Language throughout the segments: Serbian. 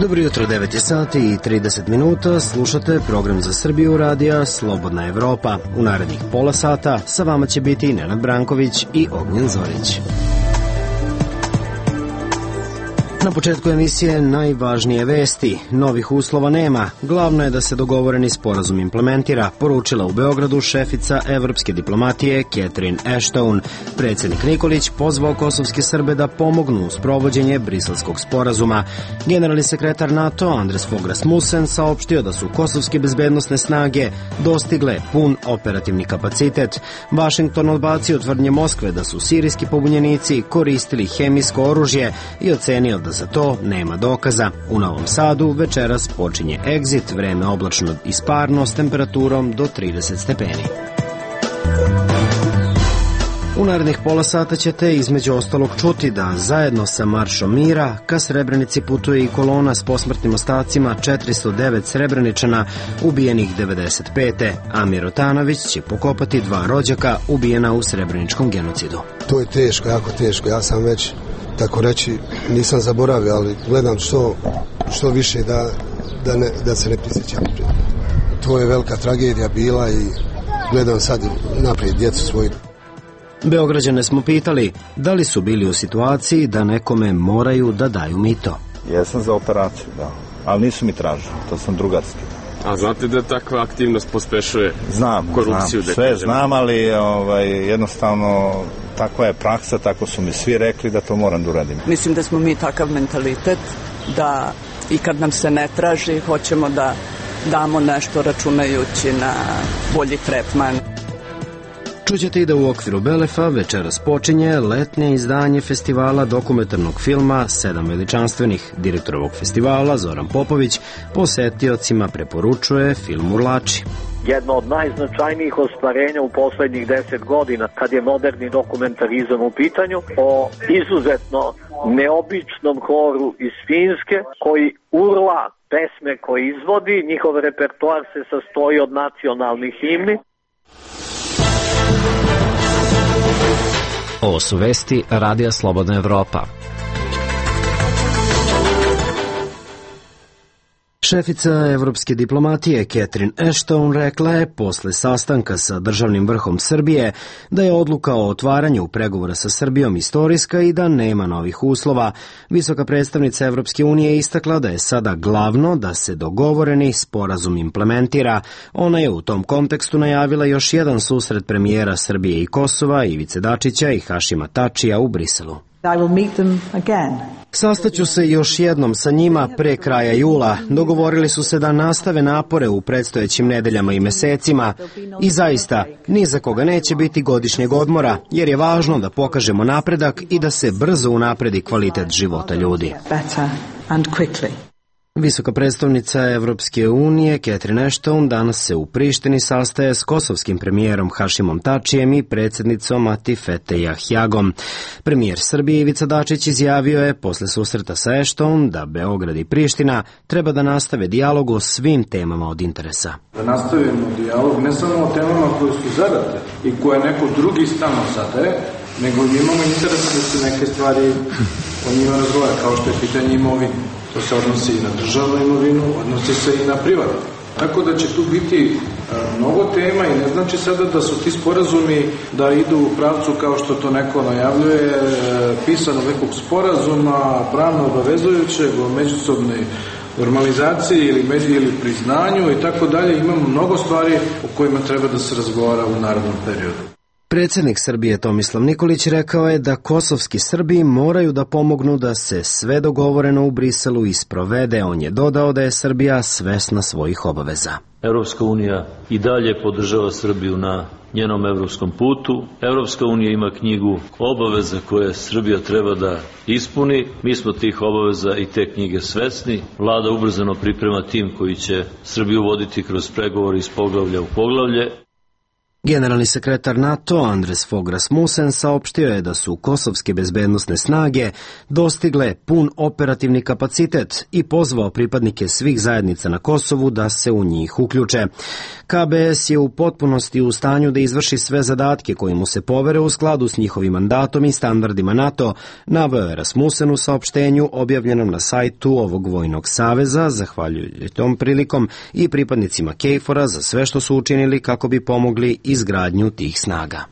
Dobro jutro, 9 je sati i 30 minuta, slušate program za Srbiju radija Slobodna Evropa. U narednih pola sata sa vama će biti Nenad Branković i Ognjen Zorić. Na početku emisije najvažnije vesti. Novih uslova nema. Glavno je da se dogovoreni sporazum implementira, poručila u Beogradu šefica evropske diplomatije Catherine Ashton. Predsjednik Nikolić pozvao kosovske Srbe da pomognu u sprovođenje briselskog sporazuma. Generalni sekretar NATO Anders Fogh Rasmussen saopštio da su kosovske bezbednosne snage dostigle pun operativni kapacitet. Vašington odbacio tvrdnje Moskve da su sirijski pobunjenici koristili hemijsko oružje i ocenio da za to nema dokaza. U Novom Sadu večeras počinje Exit, vreme oblačno i sparno s temperaturom do 30 stepeni. U narednih pola sata ćete između ostalog čuti da zajedno sa Maršom mira ka Srebrenici putuje i kolona s posmrtnim ostacima 409 Srebreničana ubijenih 95. Amir Otanović će pokopati 2 rođaka ubijena u Srebreničkom genocidu. To je teško, jako teško. Ja sam već, tako reći, nisam zaboravio, ali gledam što više da se ne prisjećam. To je velika tragedija bila i gledam sad naprijed djecu svoju. Beograđane smo pitali da li su bili u situaciji da nekome moraju da daju mito. Jesam za operaciju, da, ali nisu mi tražili, to sam drugarski. A znate da takva aktivnost pospešuje korupciju? Sve znam, ali jednostavno takva je praksa, tako su mi svi rekli da to moram da uradim. Mislim da smo mi takav mentalitet da i kad nam se ne traži hoćemo da damo nešto računajući na bolji tretman. Čućete i da u okviru Belefa večeras počinje letnje izdanje festivala dokumentarnog filma 7 veličanstvenih. Direktor ovog festivala, Zoran Popović, posetiocima preporučuje film Urlači. Jedno od najznačajnijih ostvarenja u poslednjih 10 godina kad je moderni dokumentarizam u pitanju, o izuzetno neobičnom horu iz Finske koji urla pesme koje izvodi. Njihov repertoar se sastoji od nacionalnih himni. Ovo su vesti Radija Slobodna Evropa. Šefica evropske diplomatije Catherine Ashton rekla je posle sastanka sa državnim vrhom Srbije da je odluka o otvaranju pregovora sa Srbijom istorijska i da nema novih uslova. Visoka predstavnica Evropske unije istakla da je sada glavno da se dogovoreni sporazum implementira. Ona je u tom kontekstu najavila još jedan susret premijera Srbije i Kosova, Ivice Dačića i Hašima Tačija u Briselu. Sastaću se još jednom sa njima pre kraja jula. Dogovorili su se da nastave napore u predstojećim nedeljama i mesecima i zaista ni za koga neće biti godišnjeg odmora, jer je važno da pokažemo napredak i da se brzo unapredi kvalitet života ljudi. Visoka predstavnica Evropske unije Catherine Ashton danas se u Prištini sastaje s kosovskim premijerom Hašimom Tačijem i predsjednicom Atifete Jahjagom. Premijer Srbije Ivica Dačić izjavio je posle susreta sa Ashton da Beograd i Priština treba da nastave dijalog o svim temama od interesa. Da nastavimo dijalog ne samo o temama koje su zadate i koje neko drugi stalno zadaje, nego imamo interes da se neke stvari o njima razgovara, kao što je pitanje imovine. To se odnosi i na državnu imovinu, odnosi se i na privatnu. Tako da će tu biti mnogo tema i ne znači sada da su ti sporazumi da idu u pravcu kao što to neko najavljuje, pisano nekog sporazuma, pravno obavezujućeg o međusobnoj normalizaciji ili priznanju i tako dalje. Imamo mnogo stvari o kojima treba da se razgovara u narednom periodu. Predsjednik Srbije Tomislav Nikolić rekao je da kosovski Srbi moraju da pomognu da se sve dogovoreno u Briselu isprovede. On je dodao da je Srbija svesna svojih obaveza. Evropska unija i dalje podržava Srbiju na njenom evropskom putu. Evropska unija ima knjigu obaveza koje Srbija treba da ispuni. Mi smo tih obaveza i te knjige svesni. Vlada ubrzano priprema tim koji će Srbiju voditi kroz pregovore iz poglavlja u poglavlje. Generalni sekretar NATO Anders Fogh Rasmussen saopštio je da su kosovske bezbednosne snage dostigle pun operativni kapacitet i pozvao pripadnike svih zajednica na Kosovu da se u njih uključe. KBS je u potpunosti u stanju da izvrši sve zadatke koji mu se povere u skladu s njihovim mandatom i standardima NATO, naveo je Rasmussen u saopštenju objavljenom na sajtu ovog vojnog saveza, zahvaljujući tom prilikom i pripadnicima KFOR-a za sve što su učinili kako bi pomogli izgradnju tih snaga.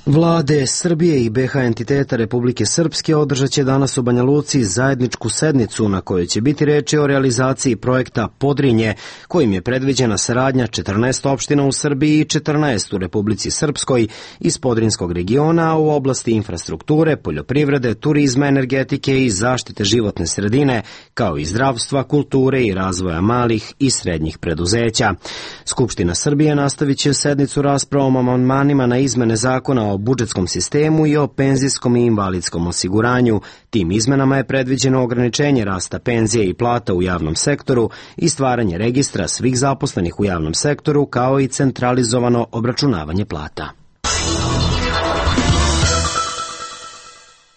Vlade Srbije i BiH entiteta Republike Srpske održat će danas u Banja Luci zajedničku sednicu na kojoj će biti reči o realizaciji projekta Podrinje, kojim je predviđena saradnja 14 opština u Srbiji i 14 u Republici Srpskoj iz Podrinjskog regiona u oblasti infrastrukture, poljoprivrede, turizma, energetike i zaštite životne sredine, kao i zdravstva, kulture i razvoja malih i srednjih preduzeća. Skupština Srbije nastavit će sednicu raspravom o amandmanima na izmene zakona o budžetskom sistemu i o penzijskom i invalidskom osiguranju. Tim izmenama je predviđeno ograničenje rasta penzije i plata u javnom sektoru i stvaranje registra svih zaposlenih u javnom sektoru, kao i centralizovano obračunavanje plata.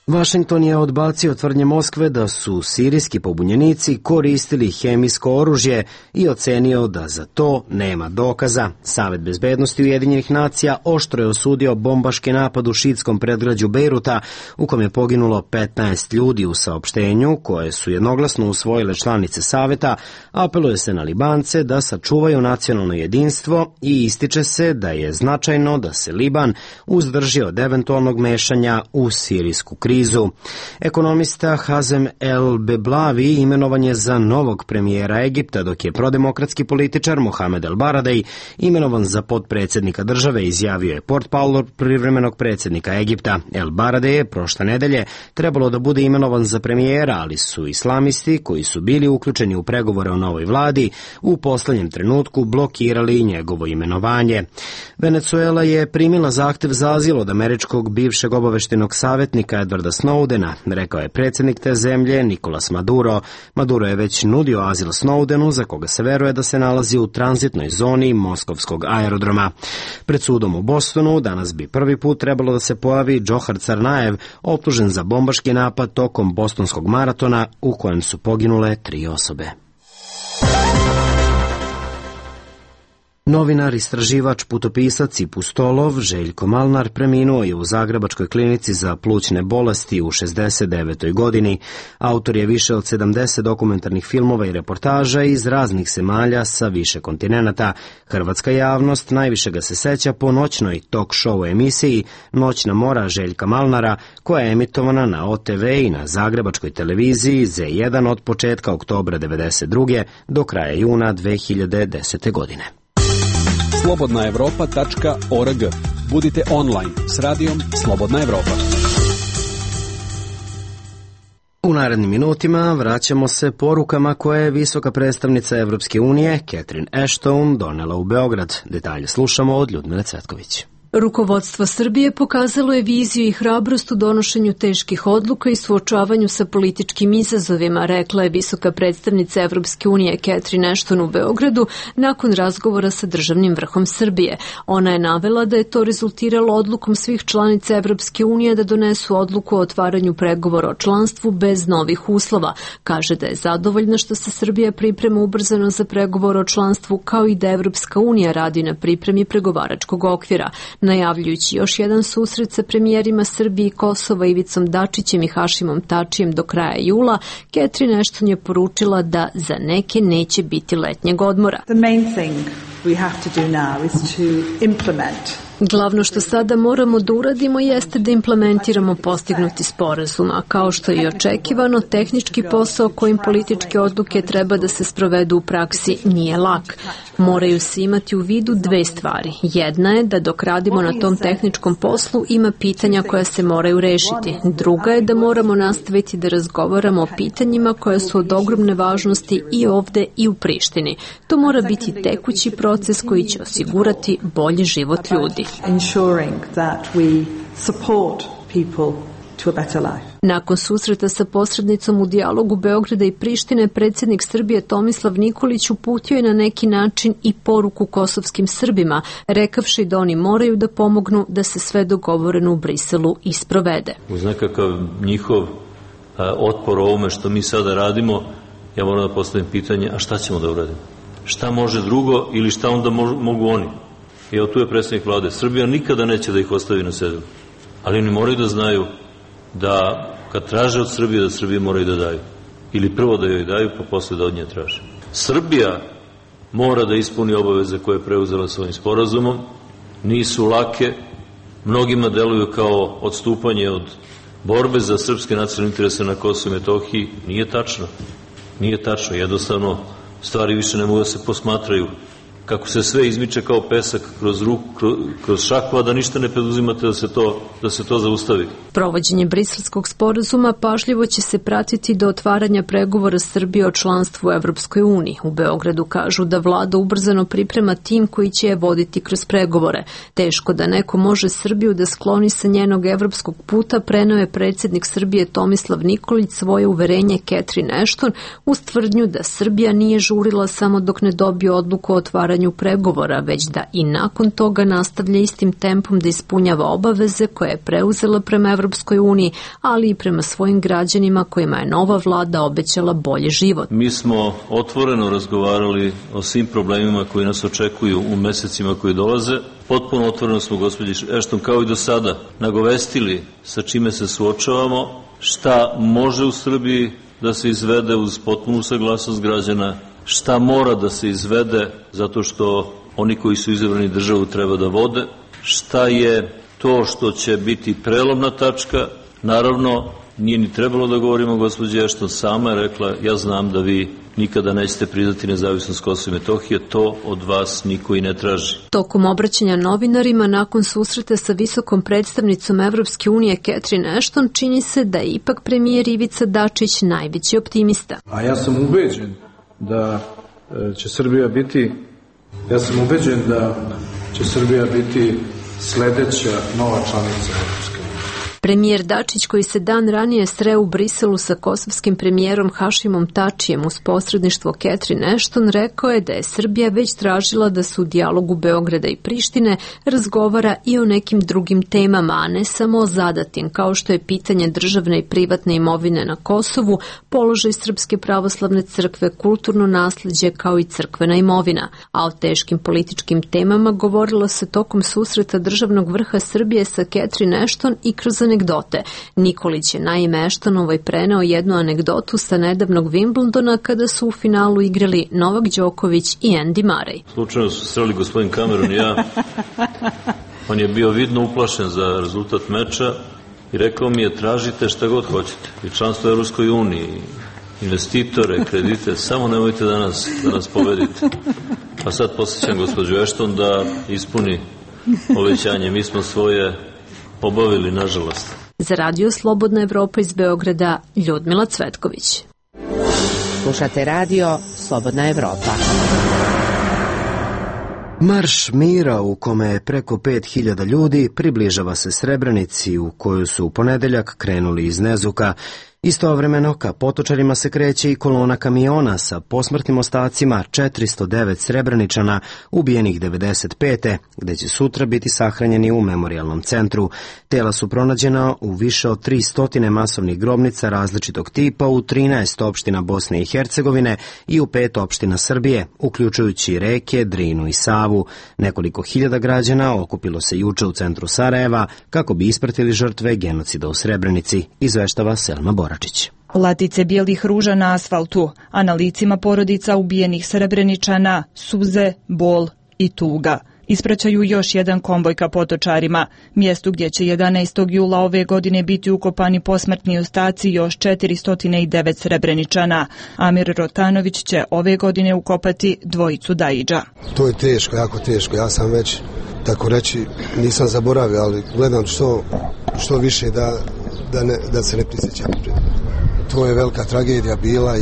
Vašington je odbacio tvrdnje Moskve da su sirijski pobunjenici koristili hemijsko oružje i ocenio da za to nema dokaza. Savet bezbednosti Ujedinjenih nacija oštro je osudio bombaški napad u šiitskom predgrađu Bejruta, u kom je poginulo 15 ljudi. U saopštenju, koje su jednoglasno usvojile članice Saveta, apeluje se na Libance da sačuvaju nacionalno jedinstvo i ističe se da je značajno da se Liban uzdrži od eventualnog mešanja u sirijsku krizu. Ekonomista Hazem El Beblavi imenovan je za novog premijera Egipta, dok je prodemokratski političar Mohamed El Baradej imenovan za potpredsjednika države, izjavio je portparol privremenog predsjednika Egipta. El Baradej je prošle nedelje trebalo da bude imenovan za premijera, ali su islamisti koji su bili uključeni u pregovore o novoj vladi u poslednjem trenutku blokirali njegovo imenovanje. Venezuela je primila zahtev za azil od američkog bivšeg obaveštajnog savjetnika Edwarda Snowdena, rekao je predsjednik te zemlje Nicolas Maduro. Maduro je već nudio azil Snowdenu, za koga se veruje da se nalazi u tranzitnoj zoni moskovskog aerodroma. Pred sudom u Bostonu danas bi prvi put trebalo da se pojavi Džohar Carnajev, optužen za bombaški napad tokom bostonskog maratona u kojem su poginule 3 osobe. Novinar, istraživač, putopisac i pustolov Željko Malnar preminuo je u Zagrebačkoj klinici za plućne bolesti u 69. godini. Autor je više od 70 dokumentarnih filmova i reportaža iz raznih zemalja sa više kontinenata. Hrvatska javnost najviše ga se seća po noćnoj talk show emisiji Noćna mora Željka Malnara, koja je emitovana na OTV i na Zagrebačkoj televiziji Z1 od početka oktobra 1992. do kraja juna 2010. godine. slobodnaevropa.org. Budite online s radijom Slobodna Evropa. U narednim minutima vraćamo se porukama koje je visoka predstavnica Evropske unije Catherine Ashton donela u Beograd. Detalje slušamo od Ljudmile Cvetković. Rukovodstvo Srbije pokazalo je viziju i hrabrost u donošenju teških odluka i suočavanju sa političkim izazovima, rekla je visoka predstavnica Evropske unije Catherine Ashton u Beogradu nakon razgovora sa državnim vrhom Srbije. Ona je navela da je to rezultiralo odlukom svih članica Evropske unije da donesu odluku o otvaranju pregovora o članstvu bez novih uslova. Kaže da je zadovoljna što se Srbija priprema ubrzano za pregovor o članstvu, kao i da Evropska unija radi na pripremi pregovaračkog okvira. Najavljujući još jedan susret sa premijerima Srbije i Kosova Ivicom Dačićem i Hašimom Tačijem do kraja jula, Catherine Ashton je poručila da za neke neće biti letnjeg odmora. The main thing we have to do now is to implement. Glavno što sada moramo da uradimo jeste da implementiramo postignuti sporazum, a kao što je i očekivano, tehnički posao kojim političke odluke treba da se sprovedu u praksi nije lak. Moraju se imati u vidu dve stvari. Jedna je da dok radimo na tom tehničkom poslu ima pitanja koja se moraju rešiti. Druga je da moramo nastaviti da razgovaramo o pitanjima koja su od ogromne važnosti i ovde i u Prištini. To mora biti tekući proces koji će osigurati bolji život ljudi. Ensuring that we support people to a better life. Nakon susreta sa posrednicom u dijalogu Beograda i Prištine, predsjednik Srbije Tomislav Nikolić uputio je na neki način i poruku kosovskim Srbima, rekavši da oni moraju da pomognu da se sve dogovoreno u Briselu i sprovede. Uz nekakav njihov otpor ovome što mi sada radimo, ja moram da postavim pitanje, a šta ćemo da uradimo? Šta može drugo ili šta onda mogu oni? I evo tu je predsjednik vlade. Srbija nikada neće da ih ostavi na cedilu. Ali oni moraju da znaju da kad traže od Srbije, da Srbije moraju da daju. Ili prvo da joj daju, pa posle da od nje traže. Srbija mora da ispuni obaveze koje je preuzela svojim sporazumom. Nisu lake, mnogima deluju kao odstupanje od borbe za srpske nacionalne interese na Kosovu i Metohiji. Nije tačno. Nije tačno. Jednostavno, stvari više ne mogu da se posmatraju. Kako se sve izmiče kao pesak kroz šaku, a da ništa ne preduzimate da se to zaustavi. Provođenje briselskog sporazuma pažljivo će se pratiti do otvaranja pregovora Srbije o članstvu u Evropskoj uniji. U Beogradu kažu da vlada ubrzano priprema tim koji će je voditi kroz pregovore. Teško da neko može Srbiju da skloni sa njenog evropskog puta, preneo je predsjednik Srbije Tomislav Nikolić svoje uverenje Catherine Ashton uz tvrdnju da Srbija nije žurila samo dok ne dobije odluku o otvaranju pregovora, već da i nakon toga nastavlja istim tempom da ispunjava obaveze koje je preuzela prema Evropskoj uniji, ali i prema svojim građanima kojima je nova vlada obećala bolji život. Mi smo otvoreno razgovarali o svim problemima koji nas očekuju u mesecima koji dolaze. Potpuno otvoreno smo, gospođi Ashton, kao i do sada, nagovestili sa čime se suočavamo, šta može u Srbiji da se izvede uz potpunu saglasnost građana, šta mora da se izvede zato što oni koji su izabrani državu treba da vode, šta je to što će biti prelomna tačka. Naravno, nije ni trebalo da govorimo, gospođa Ashton sama je rekla, ja znam da vi nikada nećete priznati nezavisnost Kosova i Metohije, to od vas niko i ne traži. Tokom obraćanja novinarima nakon susreta sa visokom predstavnicom Evropske unije Catherine Ashton, čini se da je ipak premijer Ivica Dačić najveći optimista. A ja sam ubeđen da će Srbija biti sledeća nova članica Evropske unije. Premijer Dačić, koji se dan ranije sreo u Briselu sa kosovskim premijerom Hašimom Tačijem uz posredništvo Catherine Ashton, rekao je da je Srbija već tražila da se u dijalogu Beograda i Prištine razgovara i o nekim drugim temama, a ne samo o zadatim, kao što je pitanje državne i privatne imovine na Kosovu, položaj Srpske pravoslavne crkve, kulturno nasleđe kao i crkvena imovina. A o teškim političkim temama govorilo se tokom susreta državnog vrha Srbije sa Catherine Ashton i kroz anegdote. Nikolić je naime Ashtonovoj preneo jednu anegdotu sa nedavnog Wimbledona kada su u finalu igrali Novak Đoković i Andy Murray. Slučajno su sreli gospodin Cameron i ja. On je bio vidno uplašen za rezultat meča i rekao mi je tražite šta god hoćete. I članstvo u Evropskoj uniji, investitore, kredite, samo nemojte da nas pobedite. A sad posjećam gospođu Ashton da ispuni obećanje. Mi smo svoje obavili, nažalost. Za Radio Slobodna Evropa iz Beograda, Ljudmila Cvetković. Slušate Radio Slobodna Evropa. Marš mira u kome je preko 5000 ljudi približava se Srebrenici u koju su u ponedeljak krenuli iz Nezuka. Istovremeno ka Potočarima se kreće i kolona kamiona sa posmrtnim ostacima 409 Srebreničana ubijenih 95. gde će sutra biti sahranjeni u memorijalnom centru. Tela su pronađena u više od 300 masovnih grobnica različitog tipa u 13 opština Bosne i Hercegovine i u 5 opština Srbije, uključujući reke, Drinu i Savu. Nekoliko hiljada građana okupilo se juče u centru Sarajeva kako bi ispratili žrtve genocida u Srebrenici, izveštava Selma Bora. Latice bijelih ruža na asfaltu, a na licima porodica ubijenih Srebreničana suze, bol i tuga. Ispraćaju još jedan konvoj ka Potočarima, mjestu gdje će 11. jula ove godine biti ukopani posmrtni ostaci još 409 Srebreničana. Amir Rotanović će ove godine ukopati dvojicu Daidža. To je teško, jako teško. Ja sam već, tako reći, nisam zaboravio, ali gledam što više da se ne prisjećam. To je velika tragedija bila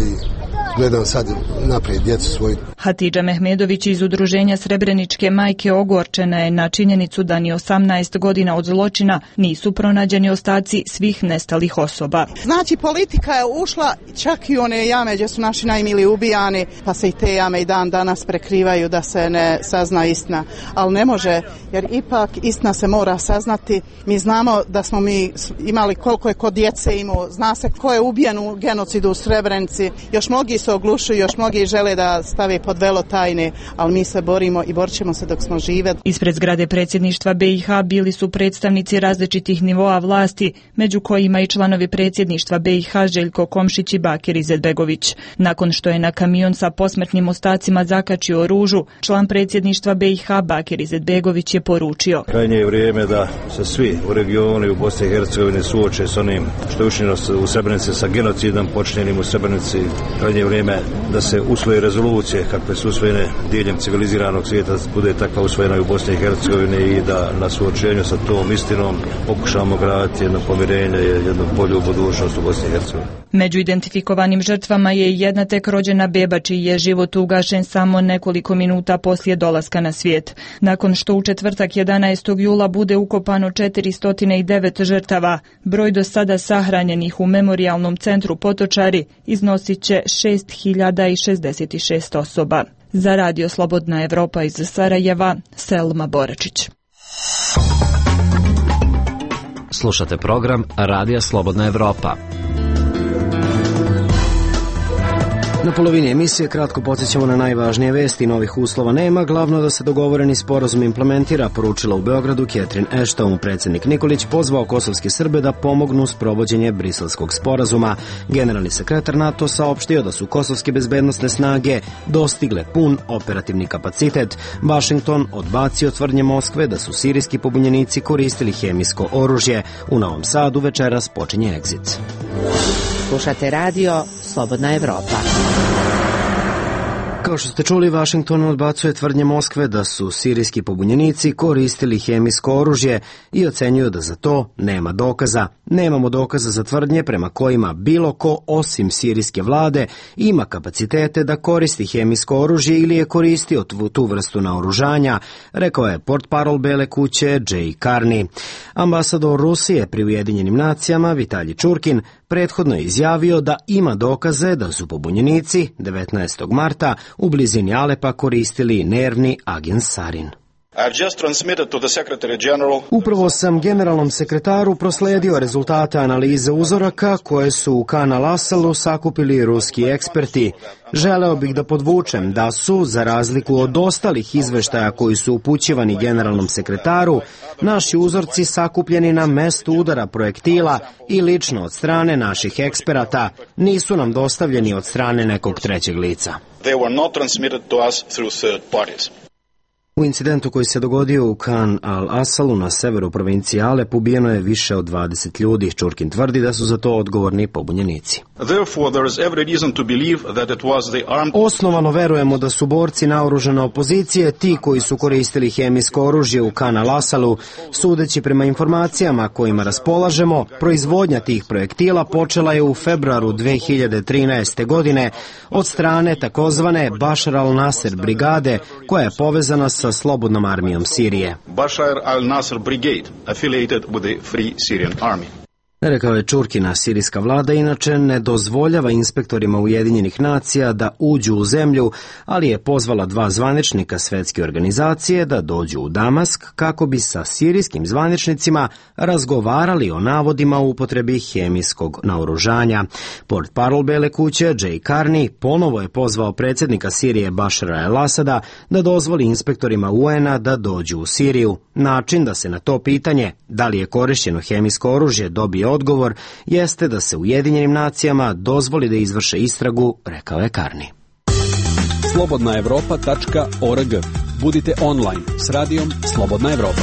gledam sad naprijed djecu svoju. Hatidža Mehmedović iz udruženja Srebreničke majke ogorčena je na činjenicu da ni 18 godina od zločina nisu pronađeni ostaci svih nestalih osoba. Znači politika je ušla čak i one jame gdje su naši najmili ubijani, pa se i te jame i dan danas prekrivaju da se ne sazna istina. Ali ne može, jer ipak istina se mora saznati. Mi znamo da smo mi imali koliko je kod djece imao, zna se ko je ubijen u genocidu u Srebrenici. Još mnogi se oglušuju, još mnogi žele da stave pod velo tajne, ali mi se borimo i borit ćemo se dok smo žive. Ispred zgrade predsjedništva BiH bili su predstavnici različitih nivoa vlasti, među kojima i članovi predsjedništva BiH Željko Komšić i Bakir Izetbegović. Nakon što je na kamion sa posmrtnim ostacima zakačio ružu, član predsjedništva BiH Bakir Izetbegović je poručio: krajnje je vrijeme da se svi u regionu i u Bosni i Hercegovini suoče s onim što je učinjeno u Srebrenici sa genocidom počinjenim u Srebrenici. Krajnje je vrijeme da se usvoje rezolucije kakve su usvojene diljem civiliziranog svijeta, bude takva usvojena i u Bosni i Hercegovini i da na suočenju sa tom istinom pokušamo graditi jedno pomirenje i jednu bolju budućnost u Bosni i Hercegovini. Među identifikovanim žrtvama je jedna tek rođena beba čiji je život ugašen samo nekoliko minuta poslije dolaska na svijet. Nakon što u četvrtak 11. jula bude ukopano 409 žrtava, broj do sada sahranjenih u memorijalnom centru Potočari iznosit će 6066 osoba. Za Radio Slobodna Evropa iz Sarajeva, Selma Boračić. Slušate program Radija Slobodna Evropa. Na polovini emisije kratko podsjećamo na najvažnije vesti. Novih uslova nema, glavno da se dogovoreni sporazum implementira, poručila u Beogradu Catherine Ashton. Predsjednik Nikolić pozvao kosovske Srbe da pomognu s provođenje Briselskog sporazuma. Generalni sekretar NATO saopštio da su kosovske bezbednosne snage dostigle pun operativni kapacitet. Washington odbacio tvrdnje Moskve da su sirijski pobunjenici koristili hemijsko oružje. U Novom Sadu večeras počinje Exit. Slušate radio Slobodna Evropa. Kao što ste čuli, Washington odbacuje tvrdnje Moskve da su sirijski pobunjenici koristili hemijsko oružje i ocenjuju da za to nema dokaza. Nemamo dokaza za tvrdnje prema kojima bilo ko osim sirijske vlade ima kapacitete da koristi hemijsko oružje ili je koristio tu vrstu naoružanja, rekao je portparol Bele kuće Jay Carney. Ambasador Rusije pri Ujedinjenim nacijama Vitalij Čurkin prethodno je izjavio da ima dokaze da su pobunjenici 19. marta u blizini Alepa koristili nervni agen sarin. Upravo sam generalnom sekretaru prosledio rezultate analize uzoraka koje su u Kan al-Asalu sakupili ruski eksperti. Želeo bih da podvučem da su, za razliku od ostalih izveštaja koji su upućivani generalnom sekretaru, naši uzorci sakupljeni na mestu udara projektila i lično od strane naših eksperata, nisu nam dostavljeni od strane nekog trećeg lica. U incidentu koji se dogodio u Kan al-Asalu na severu provincije Alep ubijeno je više od 20 ljudi. Čurkin tvrdi da su za to odgovorni pobunjenici. Osnovano verujemo da su borci naoružane opozicije ti koji su koristili hemijsko oružje u Kan al-Asalu. Sudeći prema informacijama kojima raspolažemo, proizvodnja tih projektila počela je u februaru 2013. godine od strane takozvane Bashar al-Nasser brigade koja je povezana sa Slobodnom armijom Sirije. Bashar al-Nasr Brigade, affiliated with the Free Syrian Army. Rekao je Čurkina, sirijska vlada inače ne dozvoljava inspektorima Ujedinjenih nacija da uđu u zemlju, ali je pozvala 2 zvaničnika svetske organizacije da dođu u Damask kako bi sa sirijskim zvaničnicima razgovarali o navodima o upotrebi hemijskog naoružanja. Portparol Bele kuće Jay Carney ponovo je pozvao predsjednika Sirije Bashara al-Asada da dozvoli inspektorima UN-a da dođu u Siriju. Način da se na to pitanje, da li je korišćeno hemijsko oružje, dobije odgovor, jeste da se Ujedinjenim nacijama dozvoli da izvrše istragu, rekao je Carney. slobodnaevropa.org. Budite online s radijom Slobodna Evropa.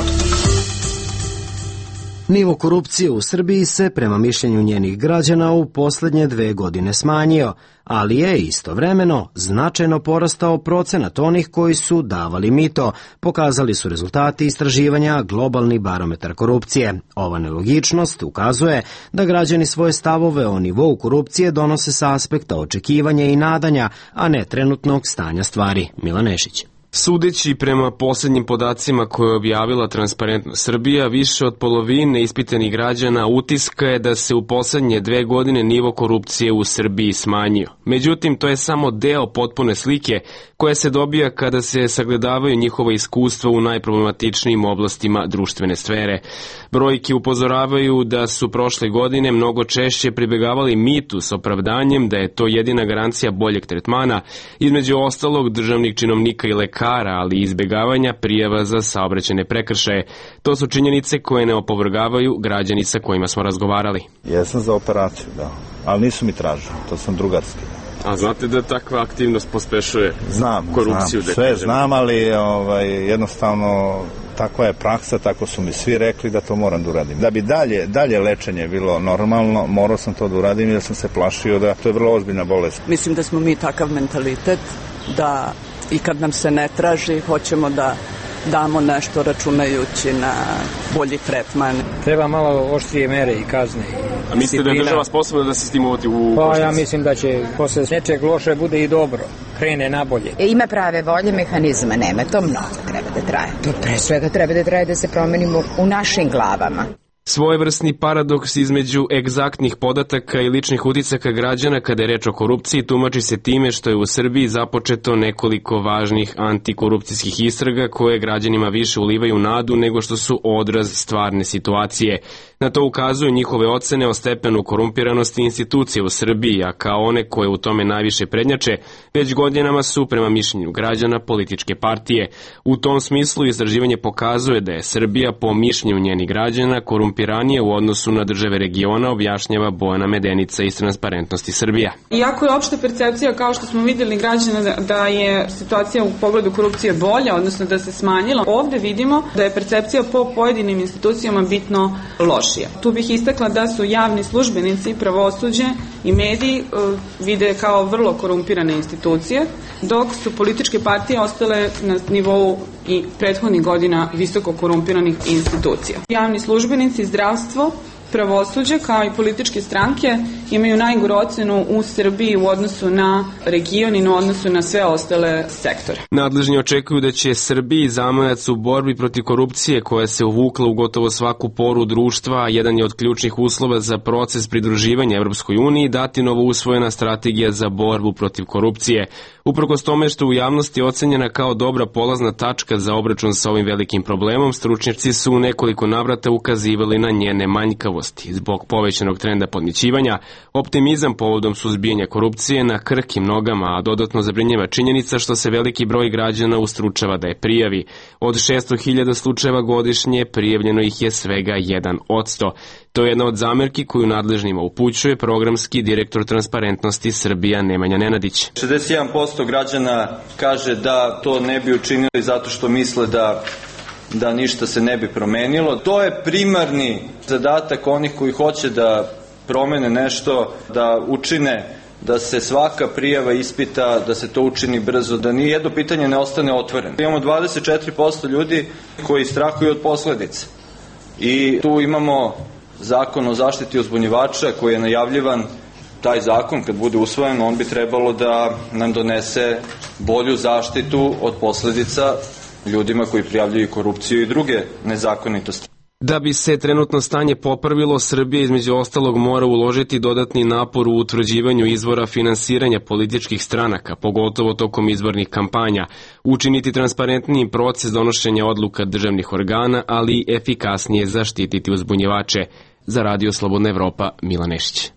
Nivo korupcije u Srbiji se, prema mišljenju njenih građana, u poslednje 2 godine smanjio, ali je istovremeno značajno porastao procenat onih koji su davali mito, pokazali su rezultati istraživanja Globalni barometar korupcije. Ova nelogičnost ukazuje da građani svoje stavove o nivou korupcije donose sa aspekta očekivanja i nadanja, a ne trenutnog stanja stvari. Milan Nešić. Sudeći prema poslednjim podacima koje je objavila Transparentna Srbija, više od polovine ispitanih građana utiska je da se u poslednje 2 godine nivo korupcije u Srbiji smanjio. Međutim, to je samo deo potpune slike koja se dobija kada se sagledavaju njihova iskustva u najproblematičnijim oblastima društvene sfere. Brojke upozoravaju da su prošle godine mnogo češće pribegavali mitu s opravdanjem da je to jedina garancija boljeg tretmana, između ostalog državnih činovnika i lekara, ali i izbegavanja prijava za saobraćajne prekršaje. To su činjenice koje ne opovrgavaju građani sa kojima smo razgovarali. Jesam za operaciju, da, ali nisu mi tražili, to sam drugarski. A znate da takva aktivnost pospešuje korupciju? Sve znam, ali jednostavno takva je praksa, tako su mi svi rekli da to moram da uradim. Da bi dalje lečenje bilo normalno, morao sam to da uradim jer sam se plašio da to je vrlo ozbiljna bolest. Mislim da smo mi takav mentalitet da i kad nam se ne traži, hoćemo da damo nešto računajući na bolji tretman. Treba malo oštrije mere i kazne. A mislite da je država sposobna da se s tim uvodi u košnicu? Pa ja mislim da će posle nečeg loše bude i dobro, krene nabolje. Ima prave volje, mehanizma nema, to mnogo treba da traje. To pre svega treba da traje da se promenimo u našim glavama. Svojevrsni paradoks između egzaktnih podataka i ličnih uticaka građana kada je reč o korupciji tumači se time što je u Srbiji započeto nekoliko važnih antikorupcijskih istraga koje građanima više ulivaju nadu nego što su odraz stvarne situacije. Na to ukazuju njihove ocene o stepenu korumpiranosti institucije u Srbiji, a kao one koje u tome najviše prednjače, već godinama su, prema mišljenju građana, političke partije. U tom smislu istraživanje pokazuje da je Srbija, po mišljenju njenih građana, korumpiranije u odnosu na države regiona, objašnjava Bojana Medenica iz Transparentnosti Srbija. Iako je opšta percepcija, kao što smo videli građana, da je situacija u pogledu korupcije bolja, odnosno da se smanjila, ovde vidimo da je percepcija po pojedinim institucijama bitno lošija. Tu bih istakla da su javni službenici, pravosuđe i mediji vide kao vrlo korumpirane institucije, dok su političke partije ostale na nivou i prethodnih godina visoko korumpiranih institucija. Javni službenici, zdravstvo, pravosuđe kao i političke stranke imaju najgoru ocenu u Srbiji u odnosu na region i u odnosu na sve ostale sektore. Nadležni očekuju da će Srbiji zamajac u borbi protiv korupcije koja se uvukla u gotovo svaku poru društva, a jedan je od ključnih uslova za proces pridruživanja Evropskoj uniji, dati novo usvojena strategija za borbu protiv korupcije. Uprkos tome što u javnosti ocenjena kao dobra polazna tačka za obračun sa ovim velikim problemom, stručnjaci su u nekoliko navrata ukazivali na njene manjkavosti. Zbog povećanog trenda podmićivanja, optimizam povodom suzbijanja korupcije na krhkim nogama, a dodatno zabrinjava činjenica što se veliki broj građana ustručava da je prijavi. Od 600.000 slučajeva godišnje prijavljeno ih je svega 1%. To je jedna od zamerki koju nadležnima upućuje programski direktor Transparentnosti Srbija Nemanja Nenadić. 61% građana kaže da to ne bi učinili zato što misle da ništa se ne bi promenilo. To je primarni zadatak onih koji hoće da promene nešto, da učine da se svaka prijava ispita, da se to učini brzo, da ni jedno pitanje ne ostane otvoreno. Imamo 24% ljudi koji strahuju od posledica. I tu imamo Zakon o zaštiti uzbunjivača koji je najavljivan. Taj zakon kad bude usvojen, on bi trebalo da nam donese bolju zaštitu od posledica ljudima koji prijavljuju korupciju i druge nezakonitosti. Da bi se trenutno stanje popravilo, Srbija između ostalog mora uložiti dodatni napor u utvrđivanju izvora finansiranja političkih stranaka, pogotovo tokom izbornih kampanja, učiniti transparentniji proces donošenja odluka državnih organa, ali i efikasnije zaštititi uzbunjivače. Za Radio Slobodna Evropa, Milan Nešić.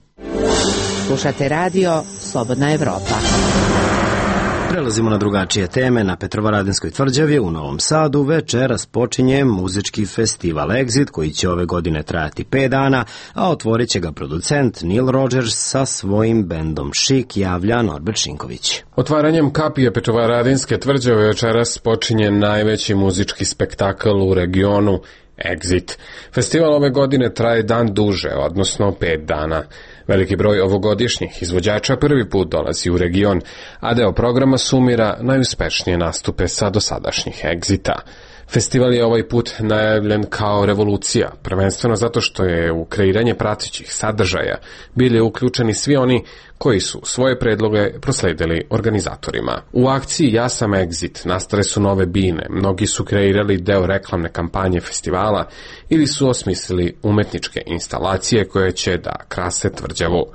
Slušate Radio Slobodna Evropa. Prelazimo na drugačije teme. Na Petrovaradinskoj tvrđavi u Novom Sadu večeras počinje muzički festival Exit koji će ove godine trajati 5 dana, a otvorit će ga producent Neil Rogers sa svojim bendom Chic, javlja Norbert Šinković. Otvaranjem kapije Petrovaradinske tvrđave večeras počinje najveći muzički spektakl u regionu. Exit. Festival ove godine traje dan duže, odnosno 5 dana. Veliki broj ovogodišnjih izvođača prvi put dolazi u region, a deo programa sumira najuspešnije nastupe sa dosadašnjih Exita. Festival je ovaj put najavljen kao revolucija, prvenstveno zato što je u kreiranje pratećih sadržaja bili uključeni svi oni koji su svoje predloge prosledili organizatorima. U akciji Ja sam Exit nastale su nove bine, mnogi su kreirali deo reklamne kampanje festivala ili su osmislili umetničke instalacije koje će da krase tvrđavu.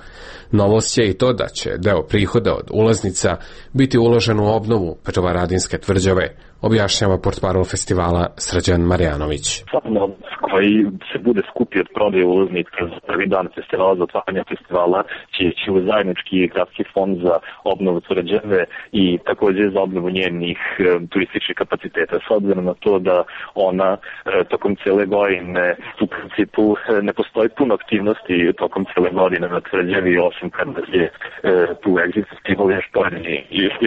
Novost je i to da će deo prihoda od ulaznica biti uložen u obnovu Petrovaradinske tvrđave, objašnjava portparol festivala Srđan Marjanović. Svaki novac koji se bude skupio od prodaje ulaznica za prvi dan festivala, za otvaranje festivala, će ići u zajednički gradski fond za obnovu tvrđave i takođe za obnovu njenih turističkih kapaciteta. S obzirom na to da ona tokom cele godine u principu ne postoji puno aktivnosti tokom cele godine na tvrđavi, osim kada je tu Exit festival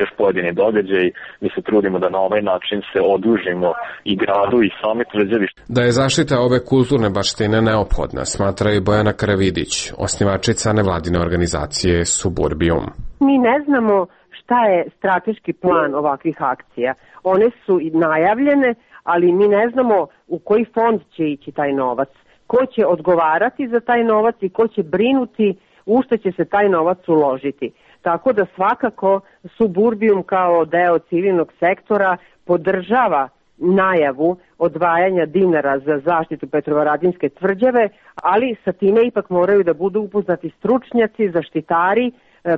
još pojedini događaj. Mi se trudimo da na ovaj način se odužimo i gradu i same tvrđavi. Da je zaštita ove kulturne baštine neophodna, smatra i Bojana Karavidić, osnivačica nevladine organizacije Suburbijum. Mi ne znamo šta je strateški plan ovakvih akcija. One su najavljene, ali mi ne znamo u koji fond će ići taj novac, ko će odgovarati za taj novac i ko će brinuti u što će se taj novac uložiti. Tako da svakako Suburbijum kao deo civilnog sektora podržava najavu odvajanja dinara za zaštitu Petrovaradinske tvrđave, ali sa time ipak moraju da budu upoznati stručnjaci, zaštitari,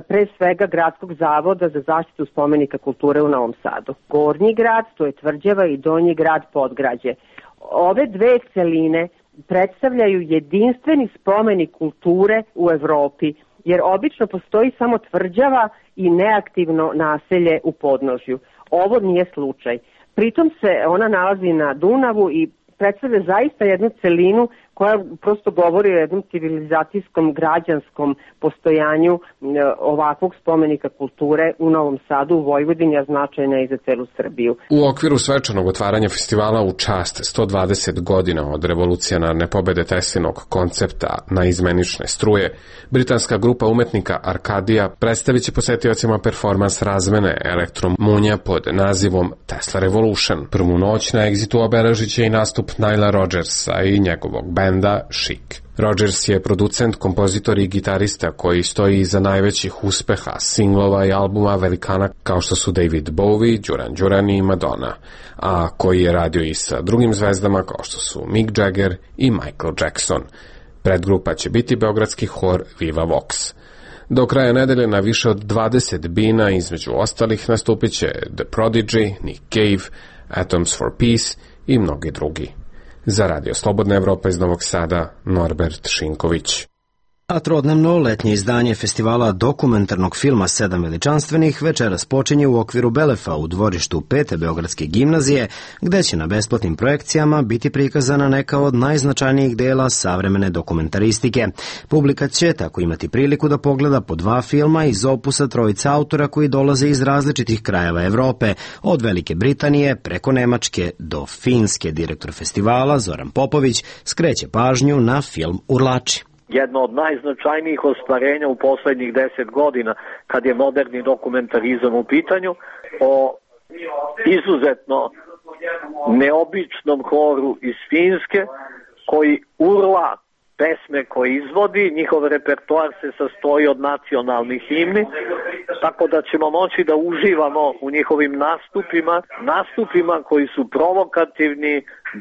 pre svega Gradskog zavoda za zaštitu spomenika kulture u Novom Sadu. Gornji grad, to je tvrđava, i donji grad Podgrađe. Ove dve celine predstavljaju jedinstveni spomenik kulture u Evropi, jer obično postoji samo tvrđava i neaktivno naselje u podnožju. Ovo nije slučaj. Pritom se ona nalazi na Dunavu i predstavlja zaista jednu celinu koja prosto govori o jednom civilizacijskom, građanskom postojanju ovakvog spomenika kulture u Novom Sadu, u Vojvodini, a značajna i za celu Srbiju. U okviru svečanog otvaranja festivala u čast 120 godina od revolucionarne pobede Teslinog koncepta na izmenične struje, britanska grupa umetnika Arkadija predstavit će posetiocima performans razmene elektromunja pod nazivom Tesla Revolution. Prvu noć na Exitu obeležit će i nastup Nila Rodgersa i njegovog benda Chic. Rodgers je producent, kompozitor i gitarista koji stoji iza najvećih uspeha singlova i albuma velikana kao što su David Bowie, Duran Duran i Madonna, a koji je radio i sa drugim zvezdama kao što su Mick Jagger i Michael Jackson. Predgrupa će biti beogradski hor Viva Vox. Do kraja nedelje na više od 20 bina, između ostalih, nastupit će The Prodigy, Nick Cave, Atoms for Peace i mnogi drugi. Za Radio Slobodna Evropa iz Novog Sada, Norbert Šinković. A trodnevno letnje izdanje festivala dokumentarnog filma 7 veličanstvenih večeras počinje u okviru Belefa u dvorištu 5. Beogradske gimnazije, gde će na besplatnim projekcijama biti prikazana neka od najznačajnijih dela savremene dokumentaristike. Publika će tako imati priliku da pogleda po 2 filma iz opusa trojica autora koji dolaze iz različitih krajeva Evrope, od Velike Britanije preko Nemačke do Finske. Direktor festivala Zoran Popović skreće pažnju na film Urlači. Jedno od najznačajnijih ostvarenja u poslednjih 10 godina kad je moderni dokumentarizam u pitanju, o izuzetno neobičnom horu iz Finske koji urla pesme koje izvodi. Njihov repertoar se sastoji od nacionalnih himni, tako da ćemo moći da uživamo u njihovim nastupima koji su provokativni,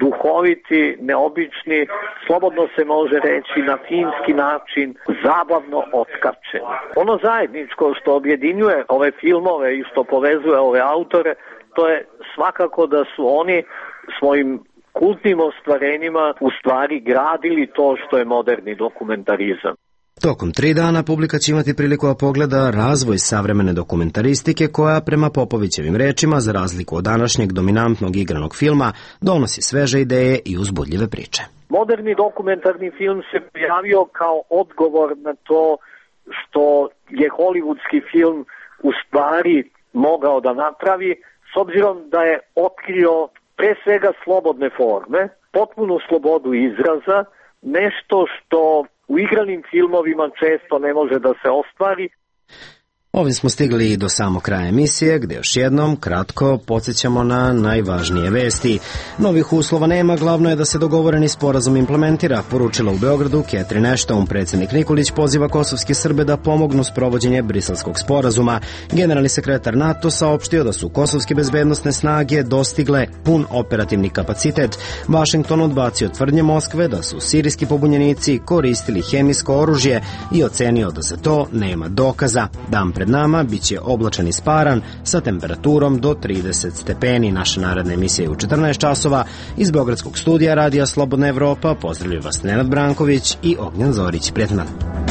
duhoviti, neobični, slobodno se može reći na finski način, zabavno otkačeni. Ono zajedničko što objedinjuje ove filmove i što povezuje ove autore, to je svakako da su oni svojim kultnim ostvarenjima u stvari gradili to što je moderni dokumentarizam. Tokom 3 dana publika će imati priliku da pogleda razvoj savremene dokumentaristike koja, prema Popovićevim rečima, za razliku od današnjeg dominantnog igranog filma, donosi sveže ideje i uzbudljive priče. Moderni dokumentarni film se pojavio kao odgovor na to što je hollywoodski film u stvari mogao da napravi, s obzirom da je otkrio pre svega slobodne forme, potpunu slobodu izraza, nešto što u igranim filmovima često ne može da se ostvari. Ovim smo stigli i do samog kraja emisije, gde još jednom kratko podsjećamo na najvažnije vesti. Novih uslova nema, glavno je da se dogovoreni sporazum implementira, poručila u Beogradu Catherine Ashton. Predsjednik Nikolić poziva kosovske Srbe da pomognu sprovođenje Briselskog sporazuma. Generalni sekretar NATO saopštio da su kosovske bezbednosne snage dostigle pun operativni kapacitet. Vašington odbacio tvrdnje Moskve da su sirijski pobunjenici koristili hemijsko oružje i ocenio da za to nema dokaza. Dan pred nama biće oblačan i sparan sa temperaturom do 30 stepeni. Naša naredna emisija je u 14 časova. Iz Beogradskog studija Radija Slobodna Evropa pozdravljaju vas Nenad Branković i Ognjan Zorić. Prijatno dan.